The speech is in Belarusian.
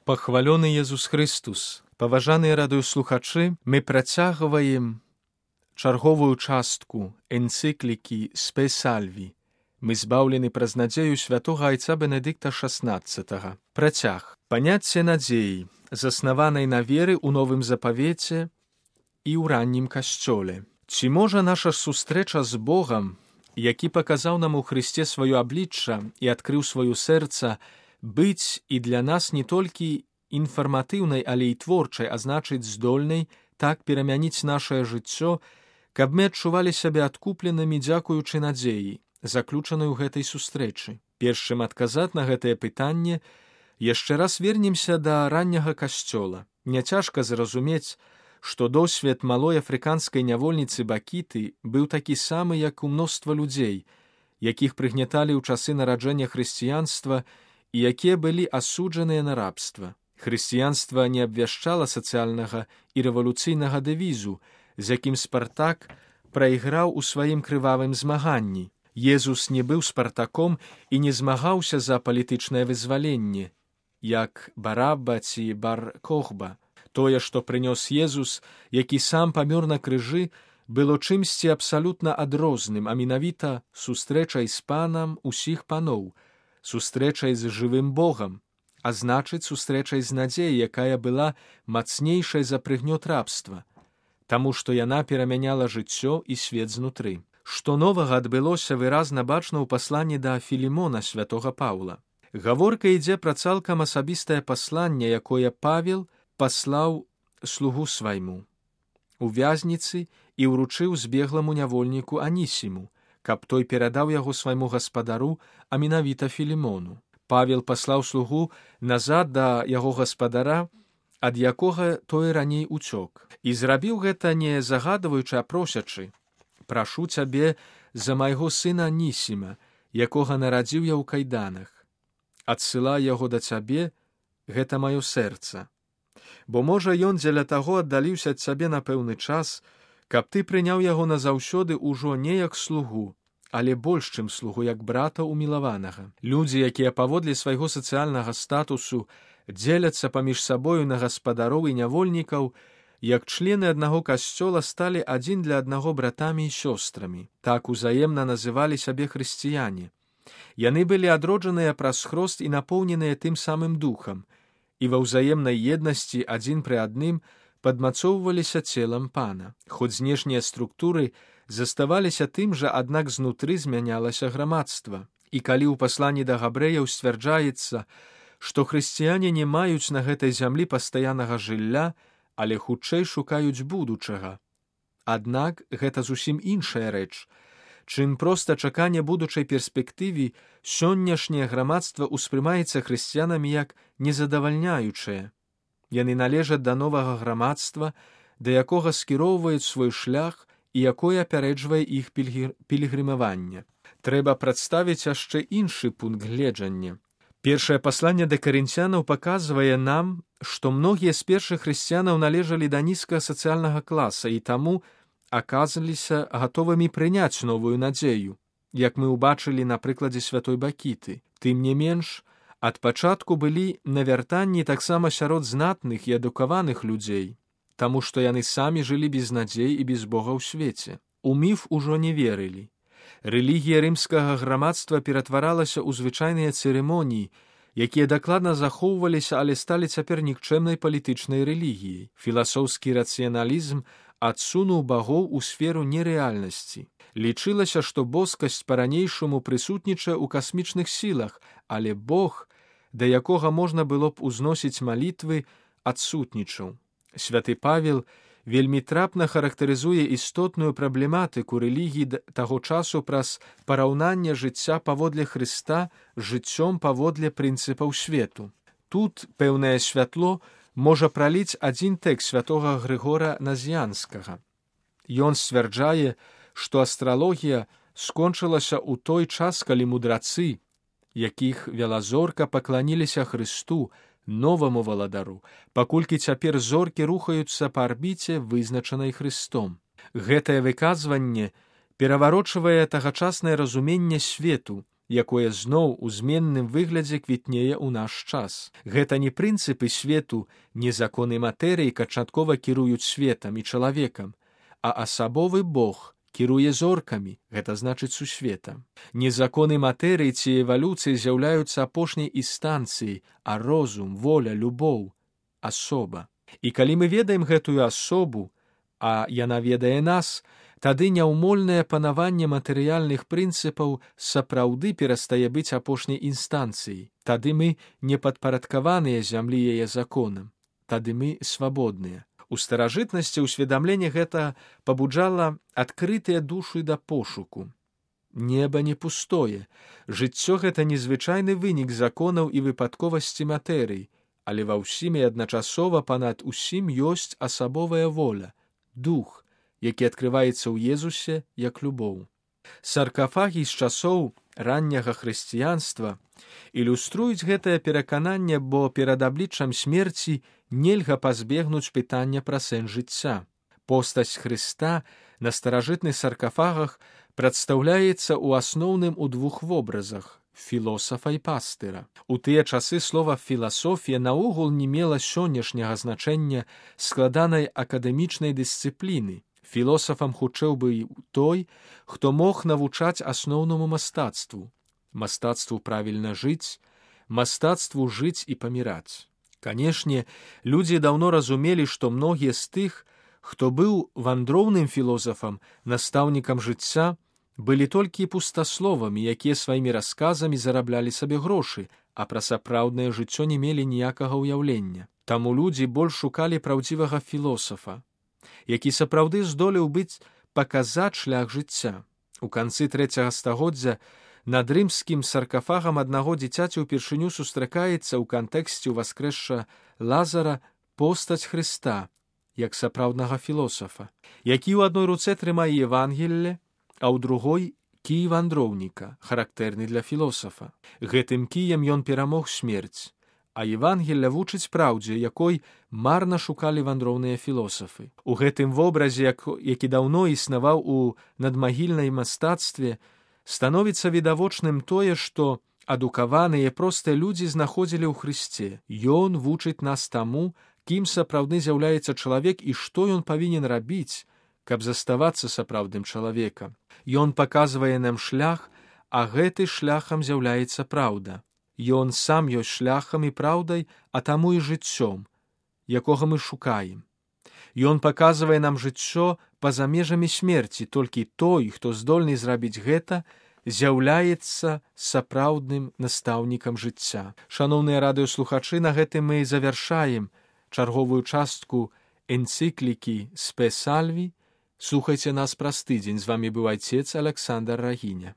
Пахвалёны Езус Христус! Паважаныя радыёслухачы, мы працягваем чарговую частку энцыклікі Spe Salvi. Мы збаўлены праз надзею святога айца Бенедыкта XVI. Працяг. Паняцце надзеі, заснаванай на веры ў Новым Запавеце і ў раннім касцёле. Ці можа наша сустрэча з Богам, які паказаў нам у Хрысце сваё аблічча і адкрыў сваё сэрца, быць і для нас не толькі інфарматыўнай, але і творчай, а значыць здольнай так перамяніць нашае жыццё, каб мы адчувалі сябе адкупленымі дзякуючы надзеі, заключанай у гэтай сустрэчы. Перш чым адказаць на гэтае пытанне, яшчэ раз вернемся да ранняга касцёла. Няцяжка зразумець, што досвед малой афрыканскай нявольніцы Бакіты быў такі самы, як у мноства людзей, якіх прыгняталі ў часы нараджэння хрысціянства і якія былі асуджаныя на рабства. Хрысціянства не абвяшчала сацыяльнага і рэвалюцыйнага дэвізу, з якім Спартак прайграў у сваім крывавым змаганні. Езус не быў Спартаком і не змагаўся за палітычнае вызваленне, як Бараба ці Бар-Кохба. Тое, што прынёс Езус, які сам памёр на крыжы, было чымсьці абсалютна адрозным, а менавіта сустрэчай з панам усіх паноў, сустрэчай з жывым Богам, а значыць, сустрэчай з надзеяй, якая была мацнейшай за прыгнёт рабства, таму што яна перамяняла жыццё і свет знутры. Што новага адбылося, выразна бачна ў пасланні да Філімона святога Паўла. Гаворка ідзе пра цалкам асабістае пасланне, якое Павел паслаў слугу свайму у вязніцы і ўручыў збегламу нявольніку Анісіму, каб той перадаў яго свайму гаспадару, а менавіта Філімону. Павел паслаў слугу назад да яго гаспадара, ад якога той раней уцёк. І зрабіў гэта не загадваючы, а просячы: «Прашу цябе за майго сына Анісіма, якога нарадзіў я ў кайданах. Адсылай яго да цябе, гэта маё сэрца. Бо, можа, ён дзеля таго аддаліўся ад цябе на пэўны час, каб ты прыняў яго назаўсёды ўжо не як слугу, але больш, чым слугу, як брата умілаванага». Людзі, якія паводле свайго сацыяльнага статусу дзеляцца паміж сабою на гаспадароў і нявольнікаў, як члены аднаго касцёла, сталі адзін для аднаго братамі і сёстрамі. Так узаемна называлі сябе хрысціяне. Яны былі адроджаныя праз хрост і напоўненыя тым самым духам, і ва ўзаемнай еднасці адзін пры адным падмацоўваліся целам пана. Хоць знешнія структуры заставаліся тым жа, аднак знутры змянялася грамадства. І калі ў пасланні да габрэяў сцвярджаецца, што хрысціяне не маюць на гэтай зямлі пастаяннага жылля, але хутчэй шукаюць будучага. Аднак гэта зусім іншая рэч. Чым проста чаканне будучай перспектывы, сённяшняе грамадства ўспрымаецца хрысціянамі як незадавальняючае. Яны належаць да новага грамадства, да якога скіроўваюць свой шлях і якое апярэджвае іх пілігрымаванне. Трэба прадставіць яшчэ іншы пункт гледжання. Першае пасланне да карынцянаў паказвае нам, што многія з першых хрысціянаў належалі да нізкага сацыяльнага класа і таму аказаліся гатовымі прыняць новую надзею, як мы ўбачылі на прыкладзе святой Бакіты. Тым не менш, ад пачатку былі навяртанні таксама сярод знатных і адукаваных людзей, таму што яны самі жылі без надзей і без Бога ў свеце. У міф ужо не верылі. Рэлігія рымскага грамадства ператваралася ў звычайныя цырымоніі, якія дакладна захоўваліся, але сталі цяпер нікчэмнай палітычнай рэлігіяй. Філасофскі рацыяналізм адсунуў багоў у сферу нерэальнасці. Лічылася, што боскасць па-ранейшаму прысутнічае ў касмічных сілах, але Бог, да якога можна было б узносіць малітвы, адсутнічаў. Святы Павел вельмі трапна характарызуе істотную праблематыку рэлігіі таго часу праз параўнанне жыцця паводле Хрыста з жыццём паводле прынцыпаў свету. Тут пэўнае святло можа праліць адзін тэкст святога Грыгора Назіянскага. Ён сцвярджае, што астралогія скончылася ў той час, калі мудрацы, якіх вяла зорка, пакланіліся Хрысту, новаму валадару, паколькі цяпер зоркі рухаюцца па арбіце, вызначанай Хрыстом. Гэтае выказванне пераварочвае тагачаснае разуменне свету, якое зноў у зменным выглядзе квітнее ў наш час. Гэта не прынцыпы свету, не законы матэрыі канчаткова кіруюць светам і чалавекам, а асабовы Бог кіруе зоркамі, гэта значыць сусветам. Не законы матэрыі ці эвалюцыі з'яўляюцца апошняй інстанцыяй, а розум, воля, любоў, асоба. І калі мы ведаем гэтую асобу, а яна ведае нас, тады няўмольнае панаванне матэрыяльных прынцыпаў сапраўды перастае быць апошняй інстанцыяй. Тады мы не падпарадкаваныя зямлі яе законам. Тады мы свабодныя. У старажытнасці ўсведамленне гэта пабуджала адкрытыя душы да пошуку. Неба не пустое. Жыццё гэта незвычайны вынік законаў і выпадковасці матэрыі, але ва ўсім і адначасова панад усім ёсць асабовая воля, дух, які адкрываецца ў Езусе як любоў. Саркафагі з часоў ранняга хрысціянства ілюструюць гэтае перакананне, бо перад абліччам смерці нельга пазбегнуць пытання пра сэнс жыцця. Постаць Хрыста на старажытных саркафагах прадстаўляецца ў асноўным у двух вобразах – філосафа і пастыра. У тыя часы слова «філасофія» наогул не мела сённяшняга значэння складанай акадэмічнай дысцыпліны. Філосафам хутчэй быў той, хто мог навучаць асноўнаму мастацтву. Мастацтву правільна жыць, мастацтву жыць і паміраць. Канешне, людзі даўно разумелі, што многія з тых, хто быў вандроўным філосафам, настаўнікам жыцця, былі толькі пустасловамі, якія сваімі расказамі зараблялі сабе грошы, а пра сапраўднае жыццё не мелі ніякага ўяўлення. Таму людзі больш шукалі праўдзівага філосафа, які сапраўды здолеў быць паказаць шлях жыцця. У канцы 3 стагоддзя над рымскім саркафагам аднаго дзіцяці ўпершыню сустракаецца ў кантэксце ўваскрэсша Лазара постаць Хрыста, як сапраўднага філосафа, які ў адной руцэ трымае Евангелле, а ў другой кій вандроўніка, характэрны для філосафа. Гэтым кіем ён перамог смерць, а Евангелля вучыць праўдзе, якой марна шукалі вандроўныя філосафы. У гэтым вобразе, які даўно існаваў у надмагільнай мастацтве, становіцца відавочным тое, што адукаваныя простыя людзі знаходзілі ў Хрысце. Ён вучыць нас таму, кім сапраўды з'яўляецца чалавек і што ён павінен рабіць, каб заставацца сапраўдным чалавекам. Ён паказвае нам шлях, а гэты шляхам з'яўляецца праўда. Ён сам ёсць шляхам і праўдай, а таму і жыццём, якога мы шукаем. Ён паказвае нам жыццё па-за межамі смерці, толькі той, хто здольны зрабіць гэта, з'яўляецца сапраўдным настаўнікам жыцця. Шаноўныя радыёслухачы, на гэтым мы завяршаем чарговую частку энцыклікі «Спе Сальві». Слухайце нас праз тыдзень. З вамі быў айцец Аляксандр Рагіня.